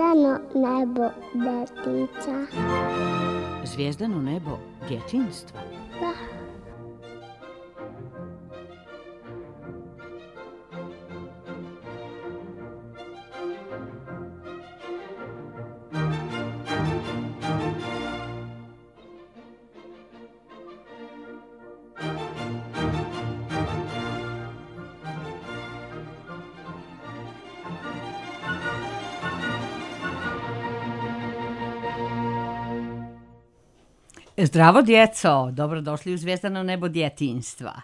Zvijezdano nebo djetica. Zvijezdano nebo djetinjstva? Da. Zdravo djeco, dobrodošli u Zvijezdano nebo djetinjstva.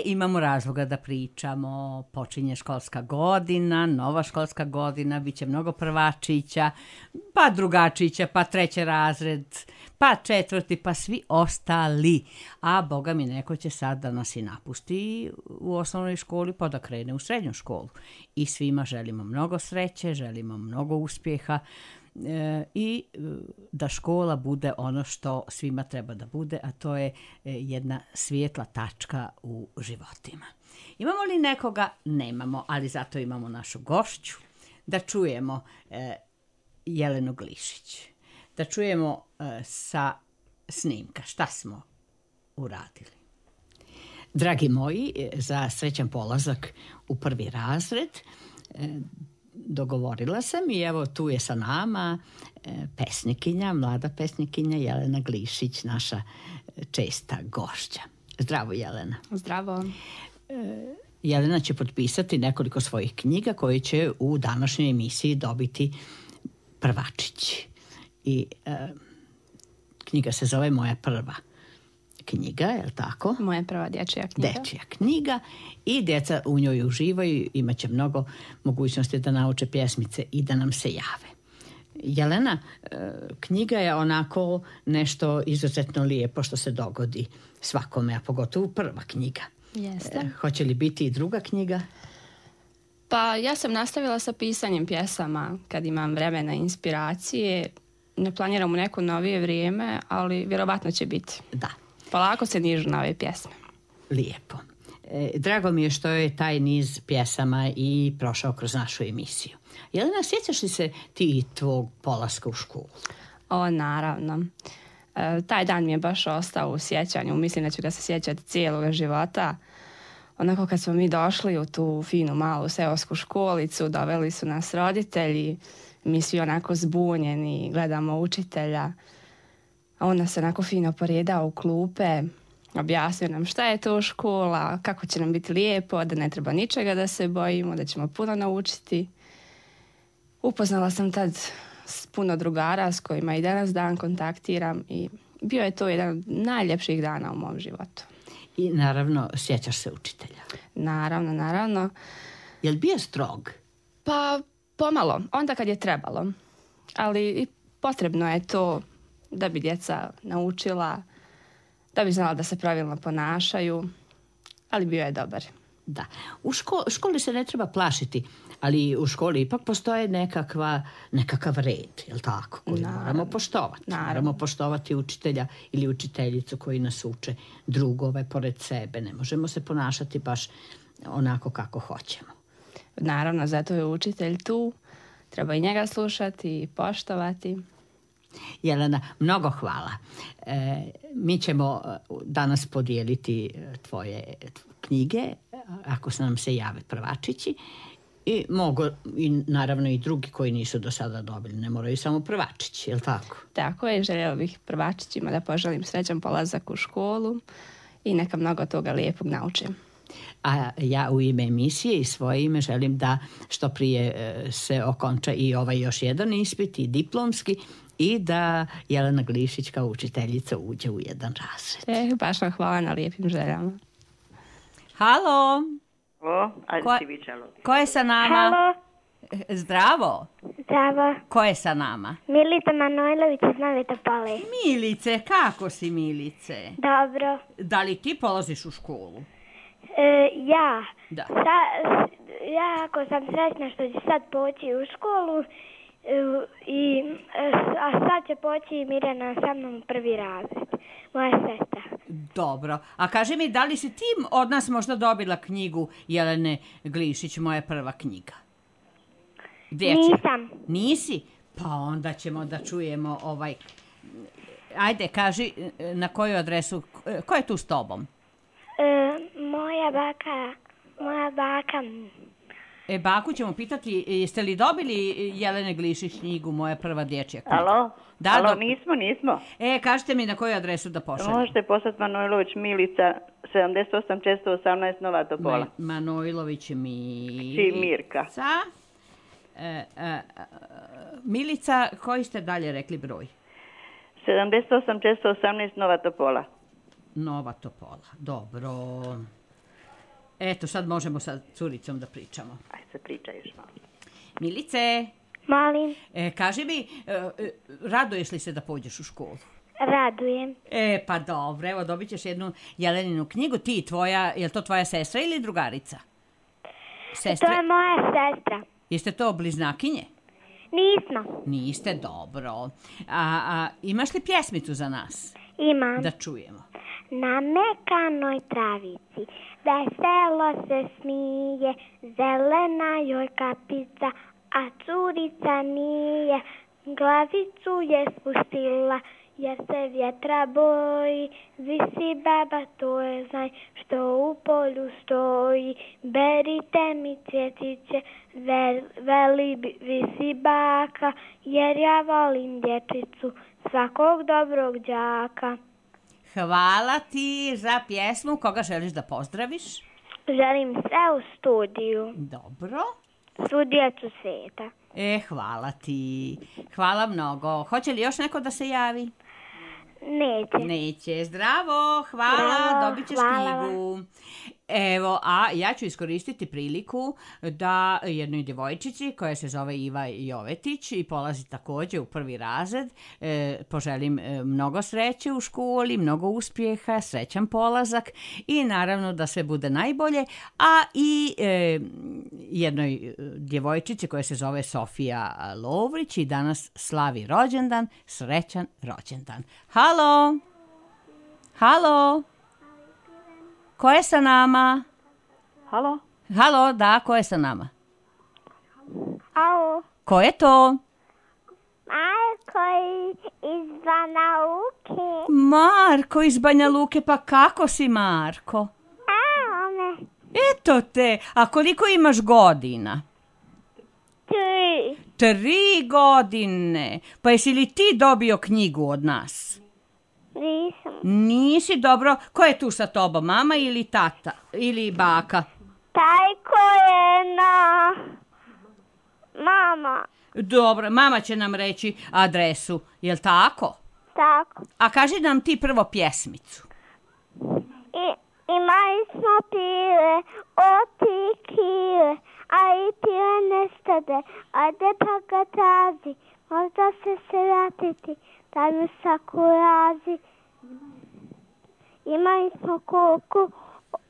Imamo razloga da pričamo, počinje školska godina, nova školska godina, bit će mnogo prvačića, pa drugačića, pa treći razred, pa četvrti, pa svi ostali. A boga mi neko će sad da nas i napusti u osnovnoj školi pa da krene u srednju školu. I svima želimo mnogo sreće, želimo mnogo uspjeha, i da škola bude ono što svima treba da bude, a to je jedna svijetla tačka u životima. Imamo li nekoga? Nemamo, ali zato imamo našu gošću. Da čujemo Jelenu Glišić. Da čujemo sa snimka šta smo uradili. Dragi moji, za srećan polazak u prvi razred dogovorila sam i evo tu je sa nama pesnikinja, mlada pesnikinja Jelena Glišić, naša česta gošća. Zdravo, Jelena. Zdravo. Jelena će potpisati nekoliko svojih knjiga koje će u današnjoj emisiji dobiti prvačići. I knjiga se zove Moja prva knjiga, je li tako? Moja prva dječja knjiga. Dječja knjiga i djeca u njoj uživaju, imat će mnogo mogućnosti da nauče pjesmice i da nam se jave. Jelena, knjiga je onako nešto izuzetno lijepo što se dogodi svakome, a pogotovo prva knjiga. Jeste. Hoće li biti i druga knjiga? Pa ja sam nastavila sa pisanjem pjesama kad imam vremena i inspiracije. Ne planiram u neko novije vrijeme, ali vjerovatno će biti. Da. Polako se nižu na ove pjesme. Lijepo. Drago mi je što je taj niz pjesama i prošao kroz našu emisiju. Jelena, sjećaš li se ti tvog polaska u školu? O, naravno. Taj dan mi je baš ostao u sjećanju. Mislim da ću ga se sjećati cijelog života. Onako kad smo mi došli u tu finu malu seosku školicu, doveli su nas roditelji, mi svi onako zbunjeni, gledamo učitelja. A on nas onako fino poredao u klupe, objasnio nam šta je to škola, kako će nam biti lijepo, da ne treba ničega da se bojimo, da ćemo puno naučiti. Upoznala sam tad s puno drugara s kojima i danas dan kontaktiram i bio je to jedan od najljepših dana u mom životu. I naravno, sjećaš se učitelja? Naravno. Je li bio strog? Pa pomalo, onda kad je trebalo. Ali i potrebno je to da bi djeca naučila, da bi znala da se pravilno ponašaju, ali bio je dobar. Da. U školi se ne treba plašiti, ali u školi ipak postoje nekakav red, je li tako, koji moramo poštovati. Naravno. Moramo poštovati učitelja ili učiteljicu koji nas uče, drugove pored sebe. Ne možemo se ponašati baš onako kako hoćemo. Naravno, zato je učitelj tu. Treba i njega slušati i poštovati. Jelena, mnogo hvala. Mi ćemo danas podijeliti tvoje knjige, ako se nam se jave prvačići, i mogu i naravno i drugi koji nisu do sada dobili, ne moraju samo prvačići, je li tako? Tako je, željela bih prvačićima da poželim srećan polazak u školu i neka mnogo toga lijepog naučim. A ja u ime emisije i svoje ime želim da što prije se okonča i ovaj još jedan ispit i diplomski i da Jelena Glišić kao učiteljica uđe u jedan razred. Baš vam hvala na lijepim željama. Halo! Ajde Ko je sa nama? Halo. Zdravo! Zdravo. Ko je sa nama? Milica Manojlović iz Nove Topole. Milice, kako si, Milice? Dobro. Da li ti polaziš u školu? Ja. Da. Ja ako sam sretna što će sad poći u školu, a sad će poći i Mirjana sa mnom u prvi razred. Moja sestra. Dobro. A kaži mi, da li si ti od nas možda dobila knjigu Jelene Glišić, Moja prva knjiga? Dječje. Nisam. Nisi? Pa onda ćemo da čujemo Ajde, kaži na koju adresu, ko je tu s tobom? Moja baka. Baku ćemo pitati, jeste li dobili Jelene Glišić knjigu Moja prva dječja knjiga? Alo? Da, Alo, nismo. Kažite mi na koju adresu da pošaljem. Možete poslati Manojlović Milica 78 418 0 Topola. Manojlović Mirka. Milica, koji ste dalje rekli broj? 78 418 Nova Topola. Nova Topola, dobro. Eto, sad možemo sa curicom da pričamo. Aj se priča još malo. Milice, Molim. kaži mi, raduješ li se da pođeš u školu? Radujem. Pa dobro, evo dobit ćeš jednu Jeleninu knjigu. Ti, je to tvoja sestra ili drugarica? To je moja sestra. Jeste to bliznakinje? Nismo. Niste, dobro. A imaš li pjesmicu za nas? Imam. Da čujemo. Na mekanoj travici veselo se smije, zelena joj kapica, a curica nije. Glavicu je spustila, jer se vjetra boji, visi baba, to je znaj, što u polju stoji. Berite mi cvjetiće, veli visi baka, jer ja volim dječicu, svakog dobrog đaka. Hvala ti za pjesmu. Koga želiš da pozdraviš? Želim sve u studiju. Dobro. Svu djecu svijeta. Hvala ti. Hvala mnogo. Hoće li još neko da se javi? Neće. Zdravo, hvala, dobit ćeš knjigu. Evo, a ja ću iskoristiti priliku da jednoj djevojčici koja se zove Iva Jovetić i polazi također u 1. razred, poželim mnogo sreće u školi, mnogo uspjeha, srećan polazak i naravno da sve bude najbolje, a i jednoj djevojčici koja se zove Sofija Lovrić i danas slavi rođendan, srećan rođendan. Halo? Ko je sa nama? Halo, da, ko je sa nama? Alo. Ko je to? Marko iz Banja Luke. Marko iz Banja Luke, pa kako si, Marko? Evo me. Eto te, a koliko imaš godina? 3. 3 godine. Pa jesi li ti dobio knjigu od nas? Nisam. Nisi, dobro. Ko je tu sa tobom, mama ili tata? Ili baka? Taj ko je na... Mama. Dobro, mama će nam reći adresu. Jel tako? Tako. A kaži nam ti prvo pjesmicu. Imali smo pile, oti kile, a i pile nestade, ajde pa ga traži, možda se vratiti, da mi sakurazi. Imali smo koku,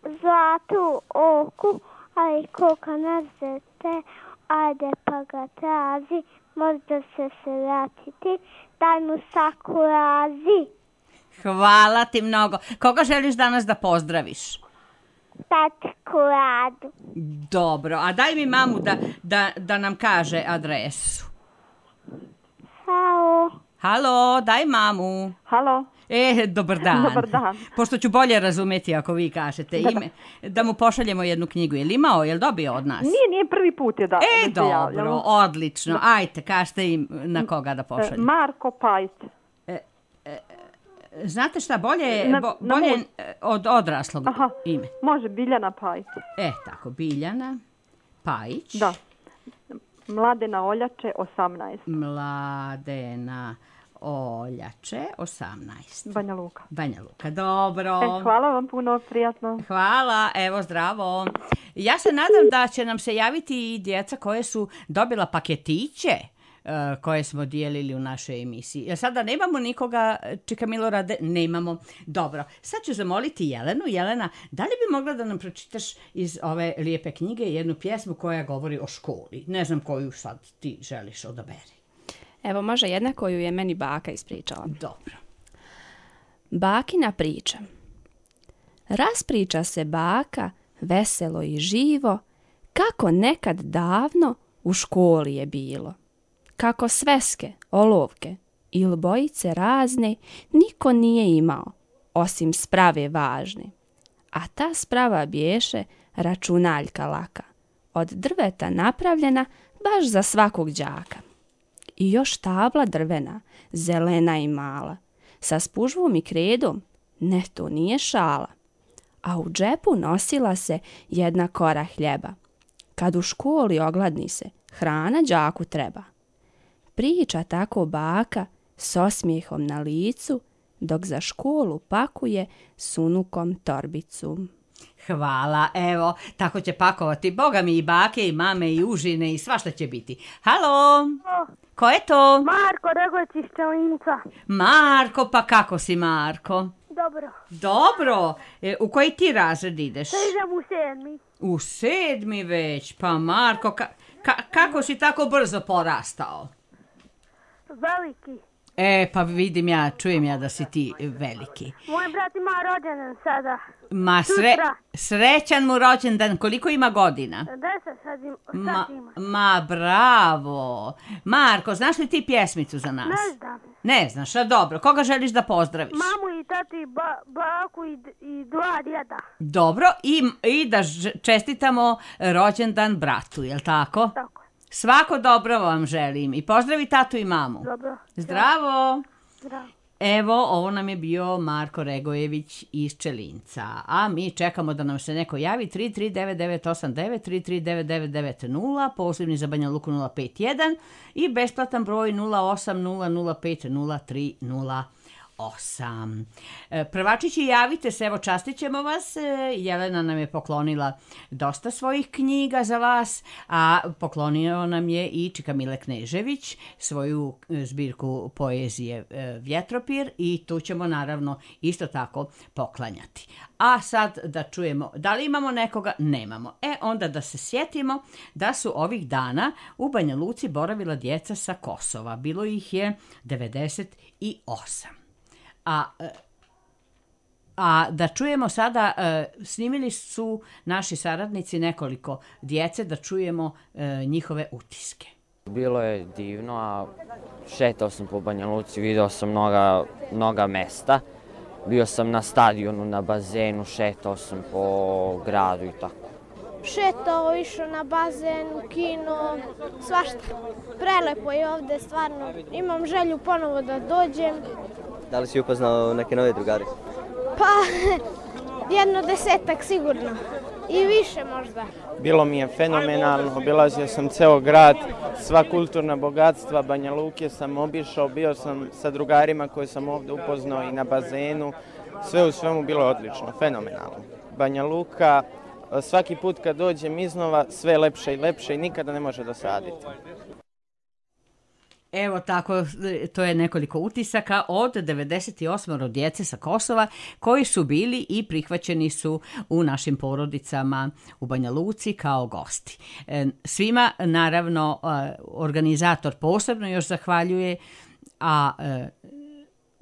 zlatu oku, a i koka nazete, ajde pa ga traži, možda se vratiti, da mi sakurazi. Hvala ti mnogo. Koga želiš danas da pozdraviš? Tatku Radu. Dobro, a daj mi mamu da nam kaže adresu. Halo, daj mamu. Halo. Dobar dan. Dobar dan. Pošto ću bolje razumjeti ako vi kažete ime, da mu pošaljemo jednu knjigu. Jel dobio od nas? Nije prvi put je da. Dobro, odlično. Ajte, kažete im na koga da pošaljem. Marko Pajs. Znate šta, bolje od odraslog ime. Može, Biljana Pajić. Tako, Biljana Pajić. Da. Mladena Oljače, 18. Mladena Oljače, 18. Banja Luka, dobro. Hvala vam puno, prijatno. Hvala, evo, zdravo. Ja se nadam da će nam se javiti i djeca koje su dobila paketiće koje smo dijelili u našoj emisiji. Sada nemamo nikoga, čeka Milorade, nemamo. Dobro, sad ću zamoliti Jelenu. Jelena, da li bi mogla da nam pročitaš iz ove lijepe knjige jednu pjesmu koja govori o školi? Ne znam koju sad ti želiš odaberi. Evo, može jedna koju je meni baka ispričala. Dobro. Bakina priča. Raspriča se baka, veselo i živo, kako nekad davno u školi je bilo. Kako sveske, olovke ili bojice razne niko nije imao, osim sprave važne. A ta sprava biješe računaljka laka, od drveta napravljena baš za svakog đaka. I još tabla drvena, zelena i mala, sa spužvom i kredom, ne, to nije šala. A u džepu nosila se jedna kora hljeba. Kad u školi ogladni se, hrana đaku treba. Priča tako baka s osmijehom na licu, dok za školu pakuje s unukom torbicu. Hvala, evo, tako će pakovati, boga mi, i bake, i mame, i užine, i svašta će biti. Halo, ko je to? Marko Regović iz Čelinca. Marko, pa kako si, Marko? Dobro. Dobro, u koji ti razred ideš? Idem u 7. U 7. već, pa Marko, kako si tako brzo porastao? Veliki. Pa vidim ja, čujem ja da si ti veliki. Moj brat ima rođendan sada. Ma srećan mu rođendan, koliko ima godina? 10 sad ima. Ma bravo. Marko, znaš li ti pjesmicu za nas? Ne znam. Ne znaš, a dobro, koga želiš da pozdraviš? Mamu i tati, baku i dva djeda. Dobro, i da čestitamo rođendan bratu, jel tako? Tako. Svako dobro vam želim i pozdravi tatu i mamu. Dobro. Zdravo. Zdravo. Evo, ovo nam je bio Marko Regojević iz Čelinca, a mi čekamo da nam se neko javi 33989, 3399990, pozivni za Banja Luku 051 i besplatan broj 0800503038. Prvačići, javite se, evo častit ćemo vas. Jelena nam je poklonila dosta svojih knjiga za vas, a poklonio nam je i Čika Mile Knežević svoju zbirku poezije Vjetropir i tu ćemo naravno isto tako poklanjati. A sad da čujemo, da li imamo nekoga? Nemamo. Onda da se sjetimo da su ovih dana u Banja Luci boravila djeca sa Kosova. Bilo ih je 98. A da čujemo sada, snimili su naši saradnici nekoliko djece, da čujemo njihove utiske. Bilo je divno, a šetao sam po Banja Luci, video sam mnoga mesta. Bio sam na stadionu, na bazenu, šetao sam po gradu i tako. Šetao, išao na bazen, u kino, svašta. Prelepo je ovdje, stvarno. Imam želju ponovo da dođem. Da li si upoznao neke nove drugare? Pa, 10 sigurno. I više možda. Bilo mi je fenomenalno, obilazio sam ceo grad, sva kulturna bogatstva Banja Luke sam obišao, bio sam sa drugarima koje sam ovdje upoznao i na bazenu. Sve u svemu bilo je odlično, fenomenalno. Banja Luka, svaki put kad dođem iznova, sve je lepše i lepše i nikada ne može dosaditi. Evo tako, to je nekoliko utisaka od 98 djece sa Kosova koji su bili i prihvaćeni su u našim porodicama u Banja Luci kao gosti. Svima, naravno, organizator posebno još zahvaljuje, a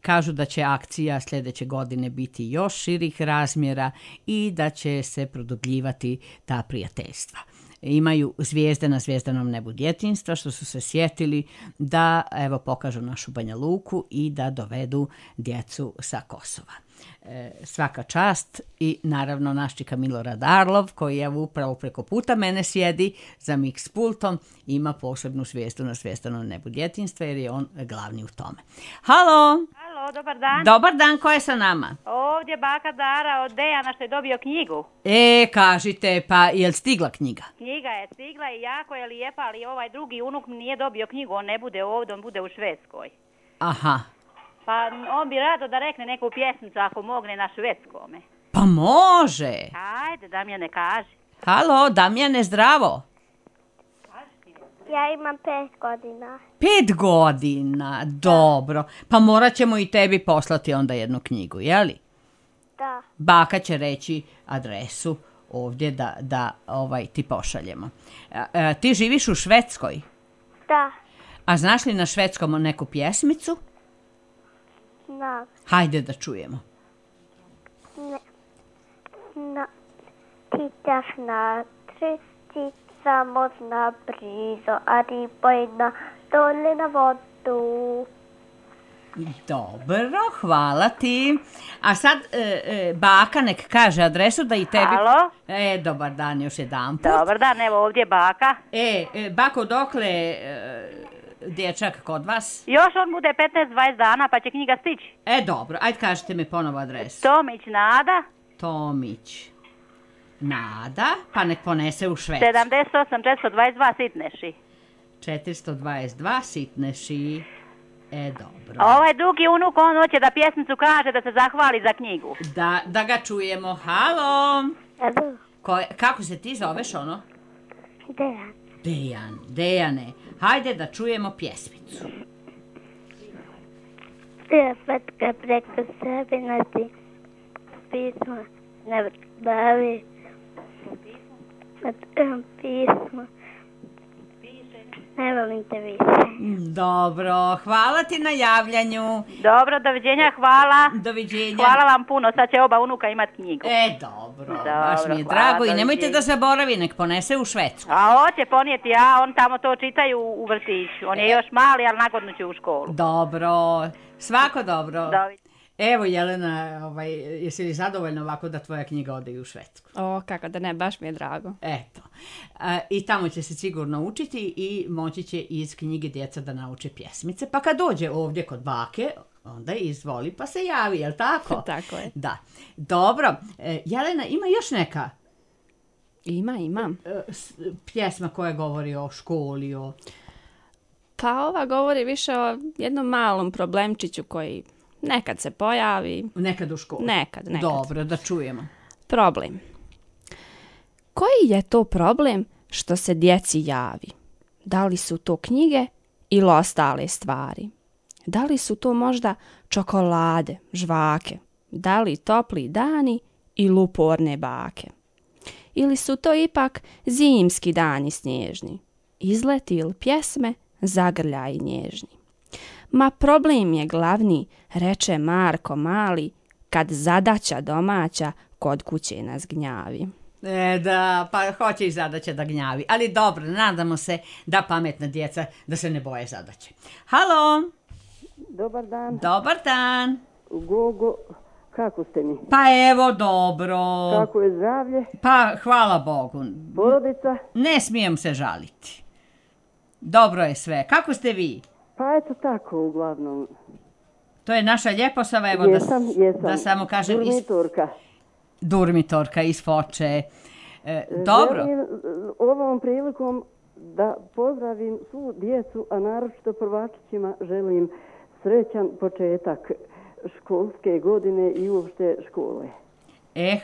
kažu da će akcija sljedeće godine biti još širih razmjera i da će se produbljivati ta prijateljstva. Imaju zvijezde na zvijezdanom nebu djetinjstva što su se sjetili da evo pokažu našu Banja Luku i da dovedu djecu sa Kosova. Svaka čast i naravno naš Čika Milorad Arlov koji je upravo preko puta mene sjedi za mix pultom, ima posebnu zvijezdu na zvijezdanom nebu djetinjstva jer je on glavni u tome. Halo! Halo, dobar dan. Dobar dan, ko je sa nama? Ovdje baka Dara od Dejana što je dobio knjigu. Kažite, pa je li stigla knjiga? Knjiga je stigla i jako je lijepa, ali ovaj drugi unuk nije dobio knjigu, on ne bude ovdje, on bude u Švedskoj. Aha. Pa on bi rado da rekne neku pjesmicu ako mogne na švedskome. Pa može. Ajde, Damjane, kaži. Halo, Damjane, zdravo. Ja imam 5 godina. 5 godina, dobro. Pa morat ćemo i tebi poslati onda jednu knjigu, jeli? Da. Baka će reći adresu ovdje da ti pošaljemo. Ti živiš u Švedskoj? Da. A znaš li na švedskom neku pjesmicu? Da. Hajde da čujemo. Tittar snart, samo zna brizo, a riba jedna dole na vodu. Dobro, hvala ti. A sad baka nek kaže adresu da i tebi... Halo? Dobar dan još jedan put. Dobar dan, evo ovdje je baka. Bako, dokle dječak kod vas? Još on bude 15-20 dana pa će knjiga stići. Dobro, ajde kažite mi ponovo adresu. Tomić Nada. Tomić Nada, pa nek ponese u Švedsku. 78 422 Sitneši. 422 Sitneši. Dobro. A ovaj drugi unuk, on hoće da pjesmicu kaže da se zahvali za knjigu. Da ga čujemo. Halo. Alo. Kako se ti zoveš ono? Dejan. Dejane. Hajde da čujemo pjesmicu. Svetka preko sebe nati pismo ne bavi. Pismo. Ne volim te više. Dobro, hvala ti na javljanju. Dobro, doviđenja, hvala. Doviđenja. Hvala vam puno, sad će oba unuka imati knjigu. Dobro, baš mi je drago hvala, i nemojte doviđenja. da zaboravi, nek ponese u Švedsku. A hoće ponijeti, on tamo to čitaju u vrtiću. On je još mali, ali nagodno će u školu. Dobro, svako dobro. Doviđenja. Evo Jelena, jesi li zadovoljna ovako da tvoja knjiga ode i u Švedsku? Kako da ne, baš mi je drago. Eto. I tamo će se sigurno učiti i moći će iz knjige djeca da nauče pjesmice. Pa kad dođe ovdje kod bake, onda izvoli pa se javi, jel tako? Tako je. Da. Dobro. Jelena, ima još neka? Imam. Pjesma koja govori o školi, Pa ova govori više o jednom malom problemčiću koji nekad se pojavi. Nekad u školi? Nekad. Dobro, da čujemo. Problem. Koji je to problem što se djeci javi? Da li su to knjige ili ostale stvari? Da li su to možda čokolade, žvake? Da li topli dani ili uporne bake? Ili su to ipak zimski dani snježni? Izleti ili pjesme, zagrljaji nježni? Ma problem je glavni, reče Marko mali, kad zadaća domaća kod kuće nas gnjavi. Da, pa hoće i zadaće da gnjavi. Ali dobro, nadamo se da pametna djeca da se ne boje zadaće. Halo! Dobar dan. Dobar dan. Gogo, kako ste mi? Pa evo, dobro. Kako je zdravlje? Pa hvala Bogu. Porodica? Ne smijem se žaliti. Dobro je sve. Kako ste vi? Pa eto tako, uglavnom. To je naša Ljeposava, evo Jesam. da samo kažem. Durmitorka. Durmitorka iz Foče. Dobro. Želim ovom prilikom da pozdravim svu djecu, a naročito prvačićima želim srećan početak školske godine i uopšte škole.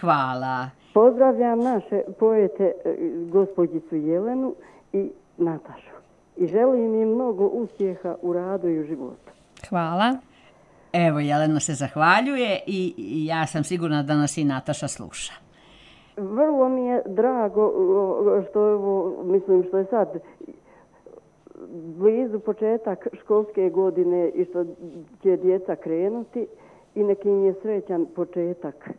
Hvala. Pozdravljam naše poete gospođicu Jelenu i Natašu. I želim im mnogo uspjeha u radu i u životu. Hvala. Evo, Jelena se zahvaljuje i ja sam sigurna da nas i Nataša sluša. Vrlo mi je drago što je sad blizu početak školske godine i što će djeca krenuti i neki im je srećan početak.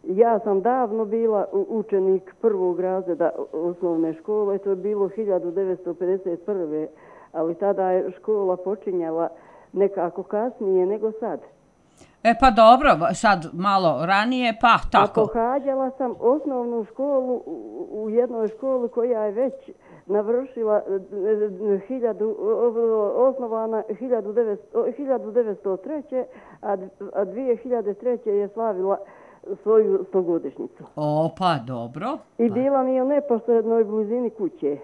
Ja sam davno bila učenik prvog razreda osnovne škole, to je bilo 1951. Ali tada je škola počinjala nekako kasnije nego sad. Pa dobro, sad malo ranije, pa tako. A pohađala sam osnovnu školu u jednoj školi koja je već navršila osnovana 1903. a 2003. je slavila svoju 100-godišnjicu. Pa dobro. I bila mi je u neposrednoj blizini kuće.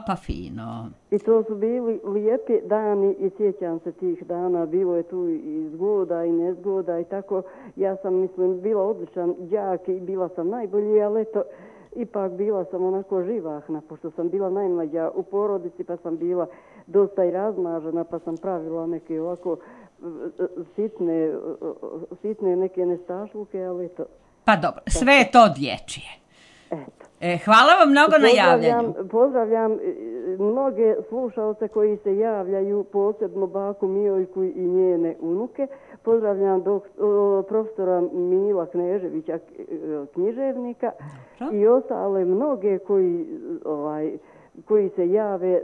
Pa fino. I to su bili lijepi dani i sjećam se tih dana. Bilo je tu i zgoda i nezgoda i tako. Ja sam, bila odličan đak i bila sam najbolji, ali eto, ipak bila sam onako živahna, pošto sam bila najmlađa u porodici, pa sam bila dosta i razmažena, pa sam pravila neke ovako sitne neke nestašluke, ali eto. Pa dobro, sve je to dječje. Eto. Hvala vam mnogo na javljanju. Pozdravljam mnoge slušalce koji se javljaju, posebno baku Mijojku i njene unuke. Pozdravljam profesora Mila Kneževića, književnika i ostale mnoge koji se jave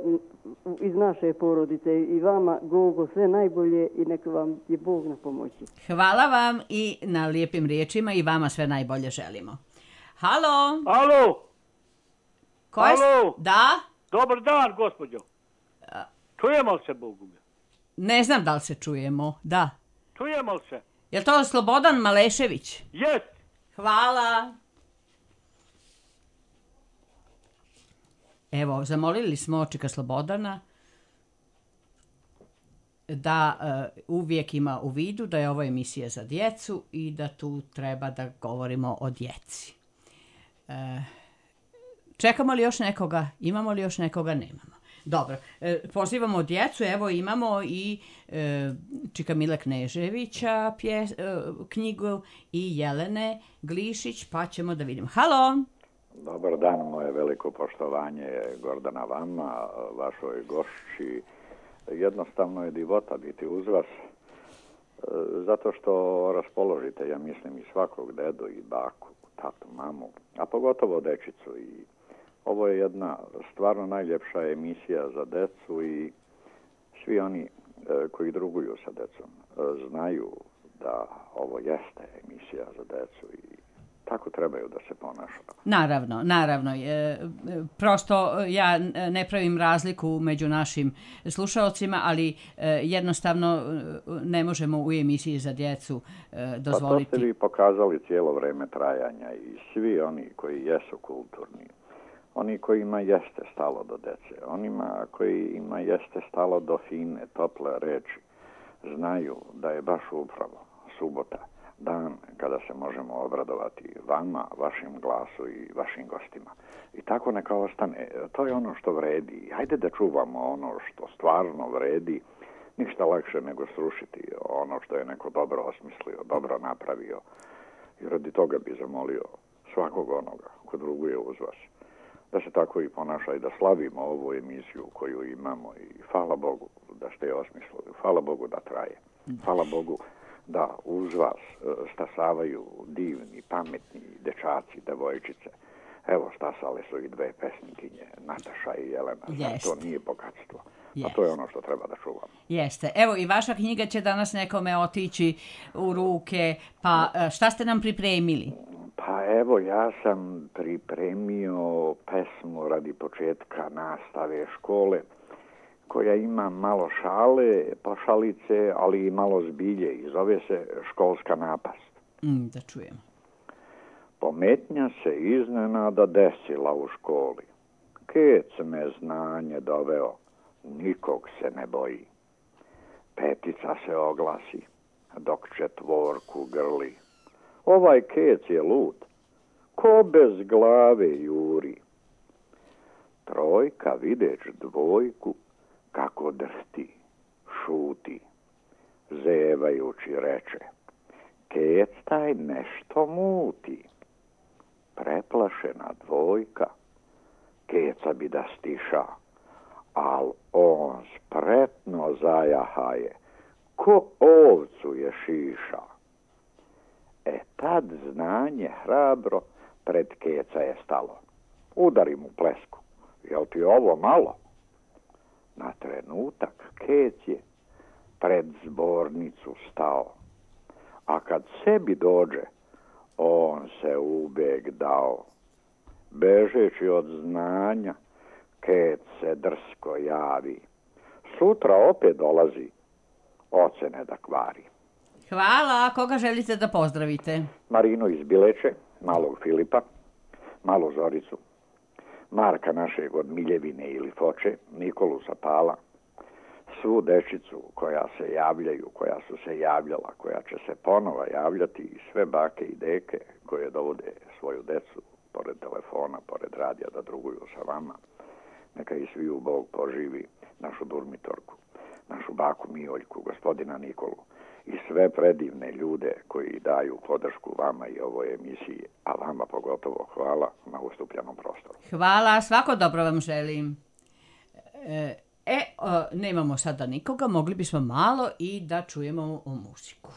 iz naše porodice. I vama, Gogo, sve najbolje i neka vam je Bog na pomoći. Hvala vam i na lijepim riječima i vama sve najbolje želimo. Halo? Alo? Alo? Da? Dobar dan, gospođo. Čujemo li se, Bogu? Ne znam da li se čujemo, da. Čujemo li se? Je li to Slobodan Malešević? Jest. Hvala. Evo, zamolili smo očika Slobodana da uvijek ima u vidu da je ovo emisija za djecu i da tu treba da govorimo o djeci. Čekamo li još nekoga? Imamo li još nekoga? Nemamo. Dobro, pozivamo djecu, evo imamo i Čika Mile Kneževića knjigu i Jelene Glišić, pa ćemo da vidimo. Halo! Dobar dan, moje veliko poštovanje Gordana vama, vašoj gošći. Jednostavno je divota biti uz vas, zato što raspoložite, ja mislim, i svakog dedu i baku, tatu, mamu, a pogotovo dečicu. I ovo je jedna stvarno najljepša emisija za decu i svi oni koji druguju sa decom znaju da ovo jeste emisija za decu i tako trebaju da se ponaša. Naravno. Prosto ja ne pravim razliku među našim slušaocima, ali jednostavno ne možemo u emisiji za djecu dozvoliti. Pa to ste vi pokazali cijelo vreme trajanja i svi oni koji jesu kulturni, oni kojima jeste stalo do dece, onima kojima jeste stalo do fine, tople reči, znaju da je baš upravo subota dan kada se možemo obradovati vama, vašim glasu i vašim gostima. I tako neka ostane. To je ono što vredi. Hajde da čuvamo ono što stvarno vredi. Ništa lakše nego srušiti ono što je neko dobro osmislio, dobro napravio. I radi toga bi zamolio svakog onoga ko druguje uz vas da se tako i ponaša i da slavimo ovu emisiju koju imamo. I hvala Bogu da ste je osmislili. Hvala Bogu da traje. Hvala Bogu da uz vas stasavaju divni, pametni dečaci, devojčice. Evo, stasale su i dve pesnikinje, Nataša i Jelena. To nije bogatstvo. A to je ono što treba da čuvamo. Jeste. Evo, i vaša knjiga će danas nekome otići u ruke. Pa šta ste nam pripremili? Pa evo, ja sam pripremio pesmu radi početka nastave škole, koja ima malo šale, pošalice, ali i malo zbilje i zove se Školska napast. Da čujem. Pometnja se iznenada desila u školi. Kec me znanje doveo, nikog se ne boji. Petica se oglasi, dok četvorku grli. Ovaj kec je lud, ko bez glave juri. Trojka videć dvojku, kako drhti, šuti, zevajući reče, kec taj nešto muti. Preplašena dvojka, keca bi da stiša, al on spretno zajahaje, ko ovcu je šiša. Tad znanje hrabro pred keca je stalo. Udari mu plesku, jel ti ovo malo? Na trenutak kec je pred zbornicu stao, a kad sebi dođe, on se ubeg dao. Bežeći od znanja, kec se drsko javi. Sutra opet dolazi, ocene da kvari. Hvala, koga želite da pozdravite? Marinu iz Bileče, malog Filipa, malu Zoricu, Marka našeg od Miljevine ili Foče, Nikolu sa Pala, svu dečicu koja se javljaju, koja su se javljala, koja će se ponova javljati i sve bake i deke koje dovode svoju decu pored telefona, pored radija da druguju sa vama. Neka i sviju Bog poživi našu Durmitorku, našu baku Mijoljku, gospodina Nikolu i sve predivne ljude koji daju podršku vama i ovoj emisiji, a vama pogotovo hvala na ustupljanom prostoru. Hvala, svako dobro vam želim. Nemamo sada nikoga, mogli bismo malo i da čujemo o muziku.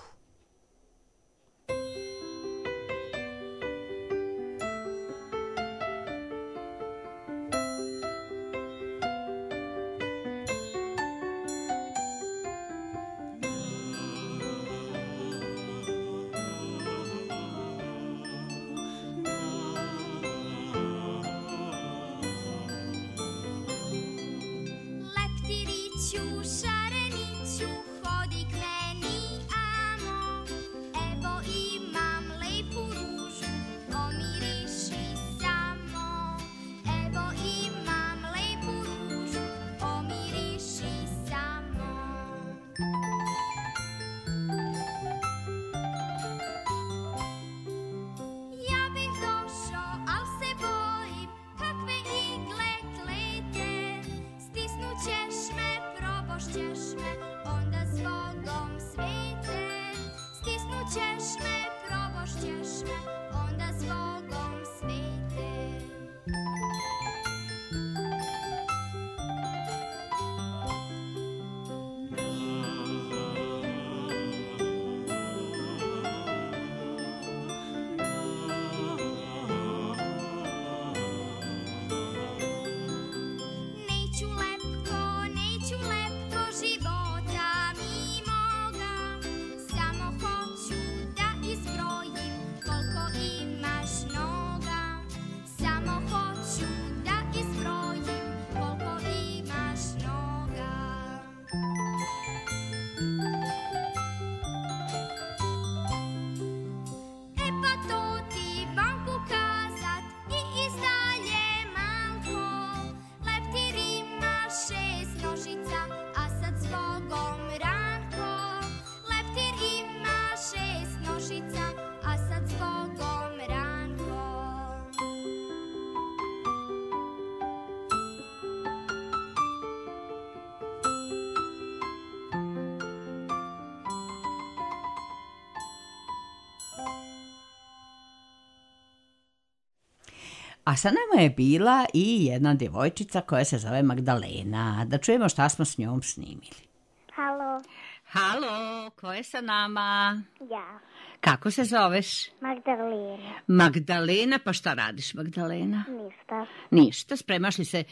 A sa nama je bila i jedna djevojčica koja se zove Magdalena. Da čujemo šta smo s njom snimili. Halo. Halo, ko je sa nama? Ja. Kako se zoveš? Magdalena. Magdalena, pa šta radiš, Magdalena? Ništa. Ništa, spremaš li se?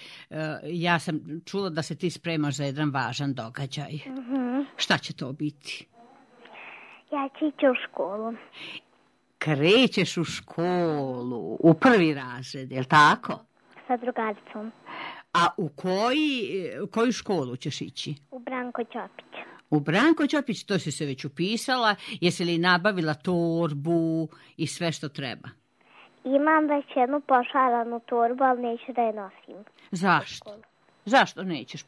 Ja sam čula da se ti spremaš za jedan važan događaj. Šta će to biti? Ja ću ići u školu. Krećeš u školu, u prvi razred, je li tako? Sa drugaricom. A u koju školu ćeš ići? U Branko Ćopić. U Branko Ćopić, to si se već upisala. Jesi li nabavila torbu i sve što treba? Imam već jednu pošaranu torbu, ali neću da je nosim. Zašto? Zašto nećeš?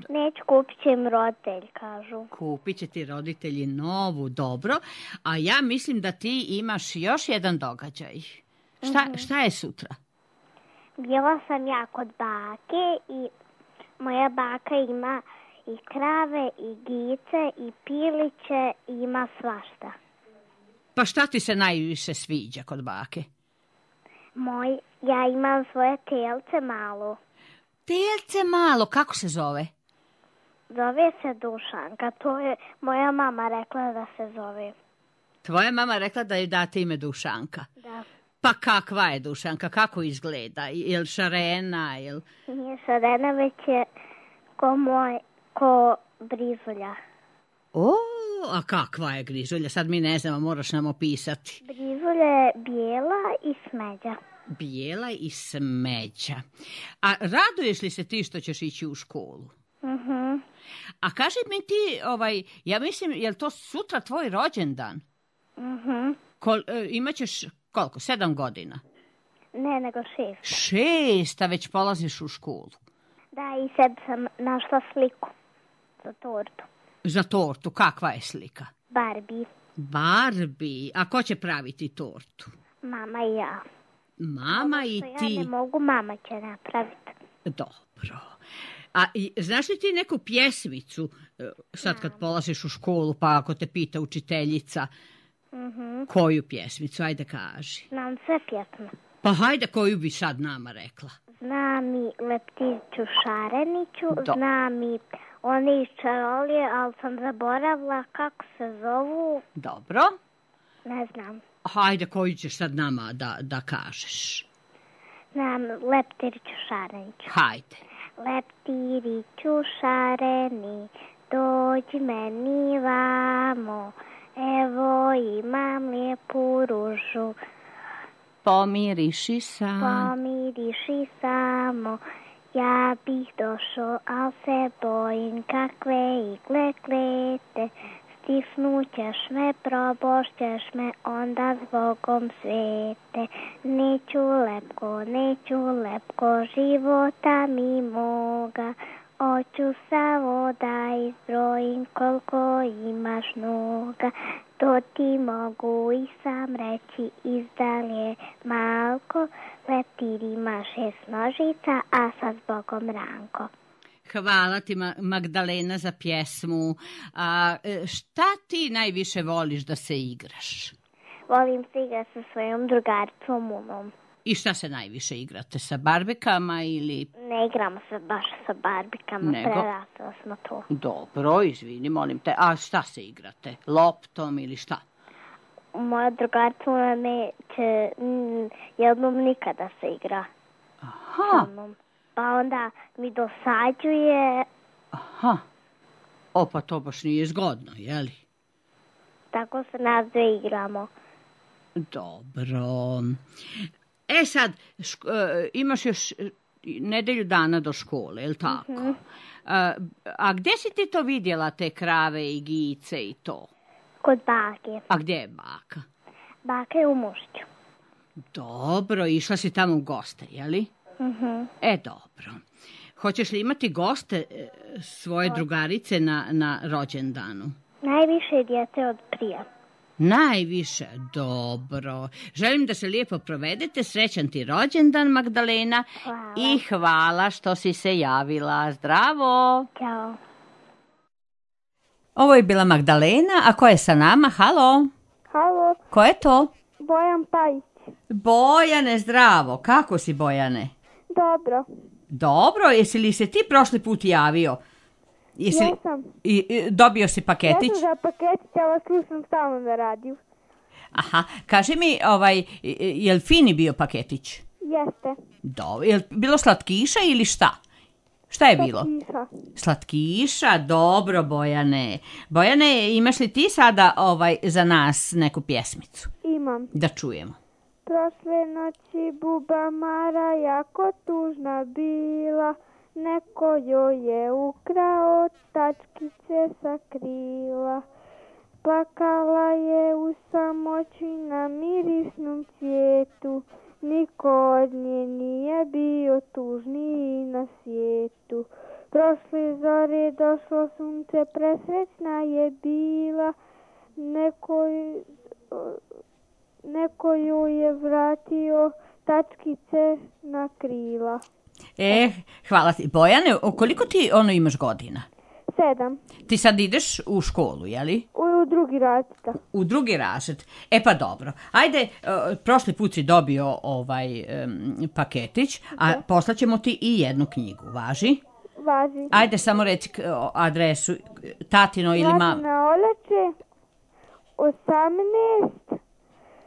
Neću, kupit će im roditelj, kažu. Kupit će ti roditelji novu, dobro. A ja mislim da ti imaš još jedan događaj. Šta je sutra? Bila sam ja kod bake i moja baka ima i krave, i gice, i piliće, i ima svašta. Pa šta ti se najviše sviđa kod bake? Ja imam svoje telce malo. Telce malo, kako se zove? Zove se Dušanka, to je moja mama rekla da se zove. Tvoja mama rekla da joj date ime Dušanka? Da. Pa kakva je Dušanka, kako izgleda? Je li šarena? Nije šarena, već je ko Brizulja. A kakva je Grizulja? Sad mi ne znamo, moraš nam opisati. Brizulja je bijela i smeđa. Bijela i smeđa. A raduješ li se ti što ćeš ići u školu? A kaži mi ti, ja mislim, je li to sutra tvoj rođendan? Imaćeš koliko? 7 godina? Ne, nego 6. 6, a već polaziš u školu. Da, i sad sam našla sliku za tortu. Za tortu, kakva je slika? Barbie. A ko će praviti tortu? Mama i ja. Mama i ti? Ja ne mogu, mama će napraviti. Dobro. A znaš li ti neku pjesmicu, sad kad polaziš u školu, pa ako te pita učiteljica, koju pjesmicu? Ajde kaži. Znam sve pjesme. Pa hajde, koju bi sad nama rekla? znam i Leptiriću Šareniću, znam i oni iz Čarolije, ali sam zaboravila kako se zovu. Dobro. Ne znam. Hajde, koju ćeš sad nama da kažeš? Znam Leptiriću Šareniću. Hajde. Leptiriću šareni, dođi meni vamo, evo imam lijepu ružu. Pomiriši samo, ja bih došao, al se bojim kakve igle klete. Stisnućeš me, probošćeš me, onda zbogom svete. Neću lepko života mi moga. Hoću samo da izbrojim koliko imaš noga. To ti mogu i sam reći izdalje malko. Leptir ima 6 nožica, a sa zbogom Ranko. Hvala ti, Magdalena, za pjesmu. A šta ti najviše voliš da se igraš? Volim se igrati sa svojom drugaricom Unom. I šta se najviše igrate? Sa barbikama ili... Ne igramo se baš sa barbikama, prerasli smo to. Dobro, izvini, molim te. A šta se igrate? Loptom ili šta? Moja drugarica Una neće jednom nikada se igra. Aha. Pa onda mi dosađuje. Aha. O, pa to baš nije zgodno, jeli? Tako se nas dve igramo. Dobro. E sad, imaš još nedelju dana do škole, je li tako? Mm-hmm. A gdje si ti to vidjela, te krave i gice i to? Kod bake. A gdje je baka? Baka je u Mušću. Dobro, išla si tamo u goste, jeli? Mm-hmm. Dobro. Hoćeš li imati goste svoje drugarice na rođendanu? Najviše djece od prije. Najviše, dobro. Želim da se lijepo provedete. Srećan ti rođendan, Magdalena. Hvala. I hvala što si se javila. Zdravo. Ćao. Ovo je bila Magdalena, a ko je sa nama? Halo. Halo. Ko je to? Bojan Pajić. Bojane, zdravo. Kako si, Bojane? Dobro. Dobro, jesi li se ti prošli put javio? Jesam. Dobio si paketić? Ja sam za paketić, ja vas slušam stalno na radiju. Aha, kaži mi, je li fini bio paketić? Jeste. Dobro, je li bilo slatkiša ili šta? Šta je bilo? Slatkiša. Slatkiša, dobro, Bojane. Bojane, imaš li ti sada za nas neku pjesmicu? Imam. Da čujemo. Prošle noći buba Mara jako tužna bila, neko joj je ukrao tačkice sa krila. Plakala je u samoći na mirisnom cvijetu, niko od nje nije bio tužniji na svijetu. Prošle zore došlo sunce, presrećna je bila, neko joj je vratio tačkice na krila. Hvala ti. Bojane, koliko ti imaš godina? 7. Ti sad ideš u školu, jeli? U drugi razred. U drugi razred. Pa dobro. Ajde, prošli put si dobio paketić, a poslaćemo ti i jednu knjigu. Važi? Važi. Ajde, samo reci adresu tatino ili mam. Mlatina Oleče, 18.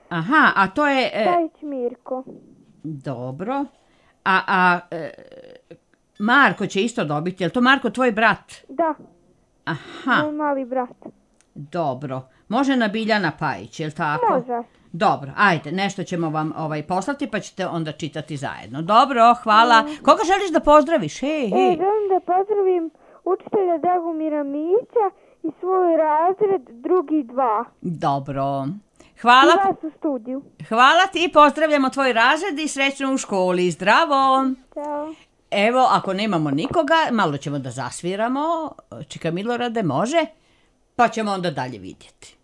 Aha, a to je... Pajić Mirko. Dobro. A Marko će isto dobiti. Je li to Marko tvoj brat? Da. Aha. Moj mali brat. Dobro. Može na Biljana Pajić, je li tako? Može. Dobro, ajde, nešto ćemo vam poslati pa ćete onda čitati zajedno. Dobro, hvala. Koga želiš da pozdraviš? Želim da pozdravim učitelja Dragomira Mića i svoj razred drugi 2. Dobro. Hvala. I vas u studiju. Hvala ti, pozdravljamo tvoj razred i srećno u školi. Zdravo. Ćao. Evo, ako nemamo nikoga, malo ćemo da zasviramo. Čika Milorade, može? Pa ćemo onda dalje vidjeti.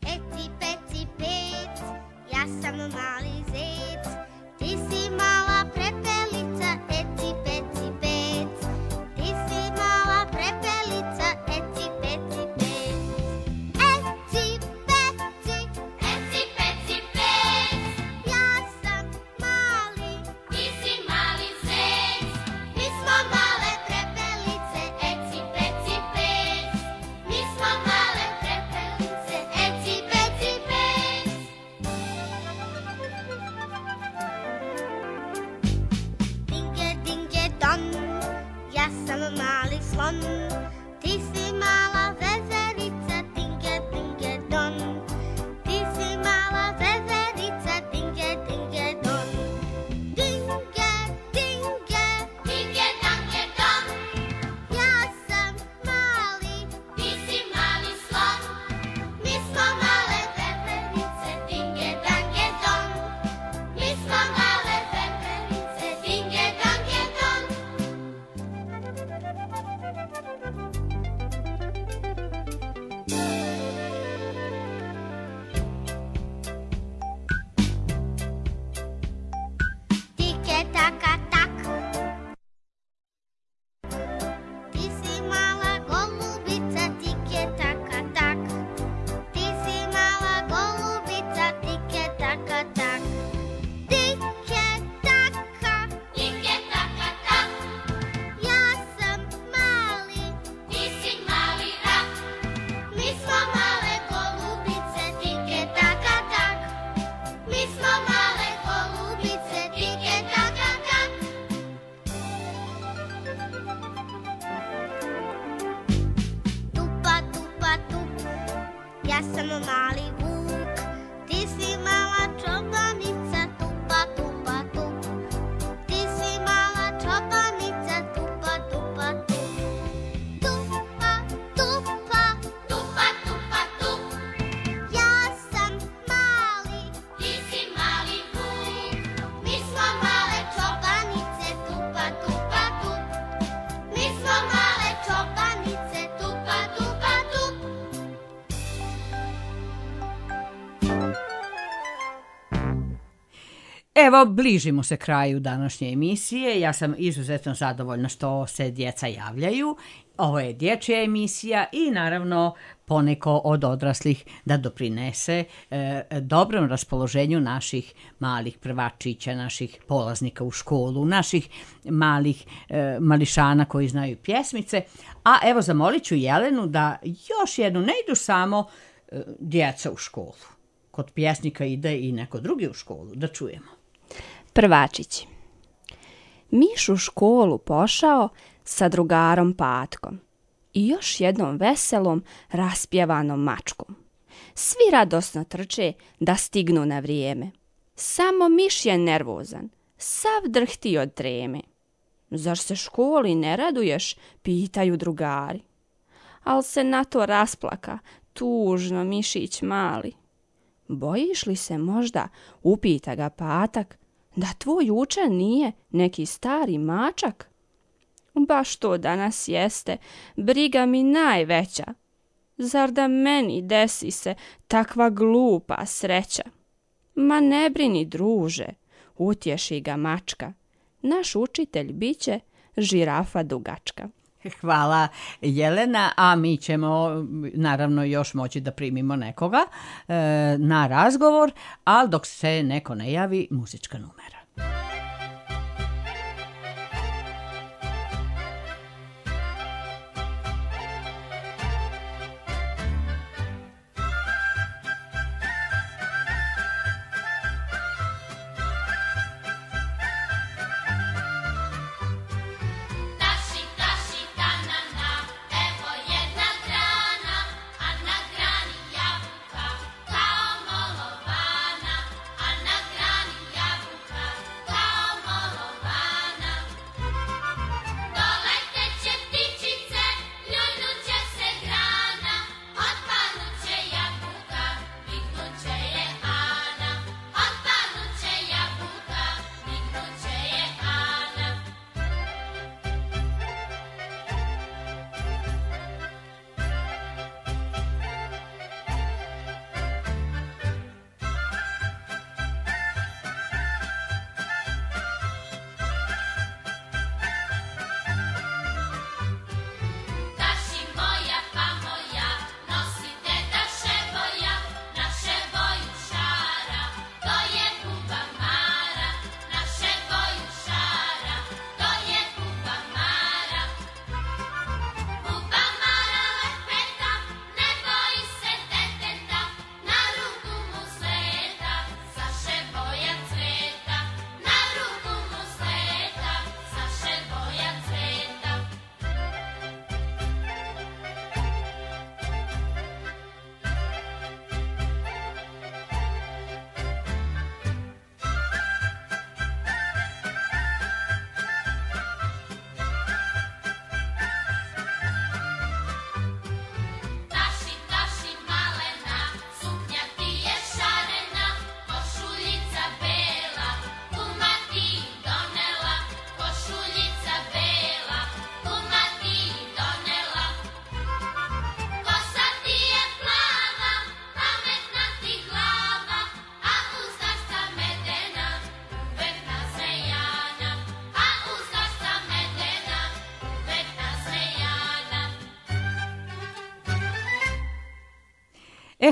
Eci, peci, pec, ja sam mali zec, ti si mala prepelica, eci, peci, pec, ti si mala prepelica. ja sam mali vuk. Ti si mala čobanica, tupa, tupa, tup. Ti si mala čobanica, tupa, tupa, tup. Tupa, tupa, tupa, tupa, tup. Ja sam mali, ti si mali vuk. Mi smo male čobanice, tupa, tupa, tup. Mi smo male čobanice, tupa, tupa, tup. Evo, bližimo se kraju današnje emisije. Ja sam izuzetno zadovoljna što se djeca javljaju. Ovo je dječja emisija i naravno poneko od odraslih da doprinese dobrom raspoloženju naših malih prvačića, naših polaznika u školu, naših malih mališana koji znaju pjesmice. A evo, zamolit ću Jelenu da još jednu, ne idu samo djeca u školu. Kod pjesnika ide i neko drugi u školu, da čujemo. Prvačići. Miš u školu pošao sa drugarom Patkom i još jednom veselom raspjevanom mačkom. Svi radosno trče da stignu na vrijeme. Samo miš je nervozan, sav drhti od treme. Zar se školi ne raduješ, pitaju drugari. Al se na to rasplaka, tužno mišić mali. Bojiš li se možda, upita ga Patak, da tvoj učen nije neki stari mačak? Baš to danas jeste, briga mi najveća. Zar da meni desi se takva glupa sreća? Ma ne brini, druže, utješi ga mačka. Naš učitelj biće žirafa dugačka. Hvala Jelena, a mi ćemo naravno još moći da primimo nekoga na razgovor, ali dok se neko ne javi, muzička numera.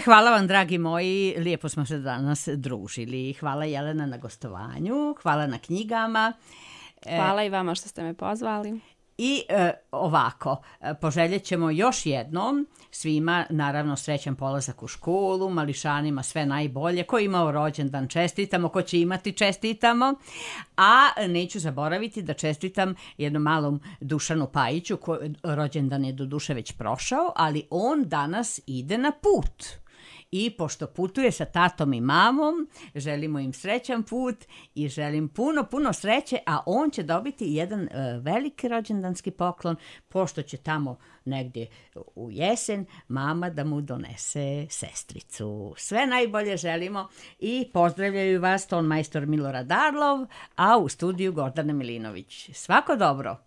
Hvala vam, dragi moji, lijepo smo se danas družili. Hvala Jelena na gostovanju, hvala na knjigama. Hvala i vama što ste me pozvali. I ovako, poželjet ćemo još jednom svima, naravno, srećan polazak u školu, mališanima sve najbolje, ko imao rođendan čestitamo, ko će imati čestitamo, a neću zaboraviti da čestitam jednom malom Dušanu Pajiću, rođendan je do duše već prošao, ali on danas ide na put. i pošto putuje sa tatom i mamom, želimo im srećan put i želim puno sreće, a on će dobiti jedan veliki rođendanski poklon, pošto će tamo negdje u jesen mama da mu donese sestricu. Sve najbolje želimo i pozdravljaju vas ton majstor Milorad Arlov, a u studiju Gordana Milinović. Svako dobro!